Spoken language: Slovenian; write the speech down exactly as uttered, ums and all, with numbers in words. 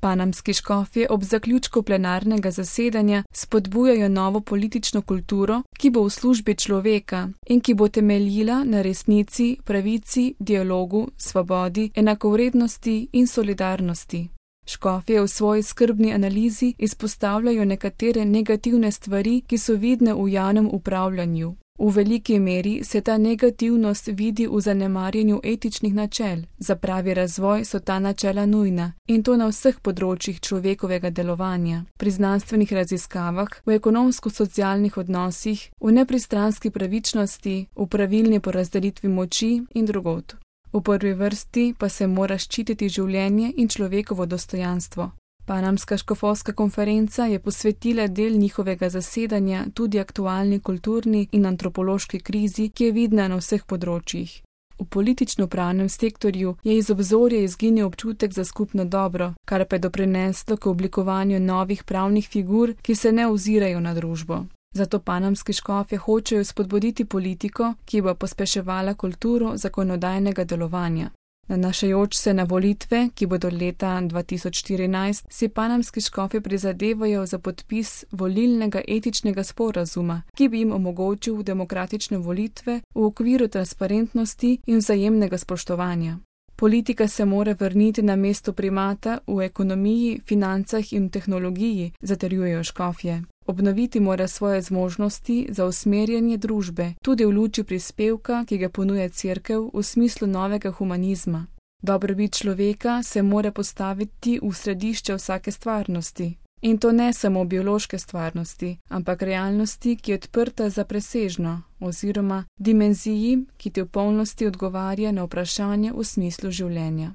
Panamski škofje ob zaključku plenarnega zasedanja spodbujajo novo politično kulturo, ki bo v službi človeka in ki bo temeljila na resnici, pravici, dialogu, svobodi, enakovrednosti in solidarnosti. Škofje v svoji skrbni analizi izpostavljajo nekatere negativne stvari, ki so vidne v javnem upravljanju. V veliki meri se ta negativnost vidi v zanemarjanju etičnih načel. Za pravi razvoj so ta načela nujna in to na vseh področjih človekovega delovanja, pri znanstvenih raziskavah, v ekonomsko-socialnih odnosih, v nepristranski pravičnosti, v pravilni porazdelitvi moči in drugod. V prvi vrsti pa se mora ščititi življenje in človekovo dostojanstvo. Panamska škofovska konferenca je posvetila del njihovega zasedanja tudi aktualni kulturni in antropološki krizi, ki je vidna na vseh področjih. V politično-pravnem sektorju je iz obzorja izginil občutek za skupno dobro, kar pa je doprineslo k oblikovanju novih pravnih figur, ki se ne ozirajo na družbo. Zato panamski škofje hočejo spodbuditi politiko, ki bo pospeševala kulturo zakonodajnega delovanja. Nanašajoč se na volitve, ki bodo leta dva tisoč štirinajst, si panamski škofje prizadevajo za podpis volilnega etičnega sporazuma, ki bi jim omogočil demokratične volitve v okviru transparentnosti in vzajemnega spoštovanja. Politika se mora vrniti na mesto primata v ekonomiji, financah in tehnologiji, zatrjujejo škofje. Obnoviti mora svoje zmožnosti za usmerjanje družbe, tudi v luči prispevka, ki ga ponuja Cerkev v smislu novega humanizma. Dobrobit človeka se mora postaviti v središče vsake stvarnosti. In to ne samo biološke stvarnosti, ampak realnosti, ki je odprta za presežno, oziroma dimenziji, ki ti v polnosti odgovarja na vprašanje v smislu življenja.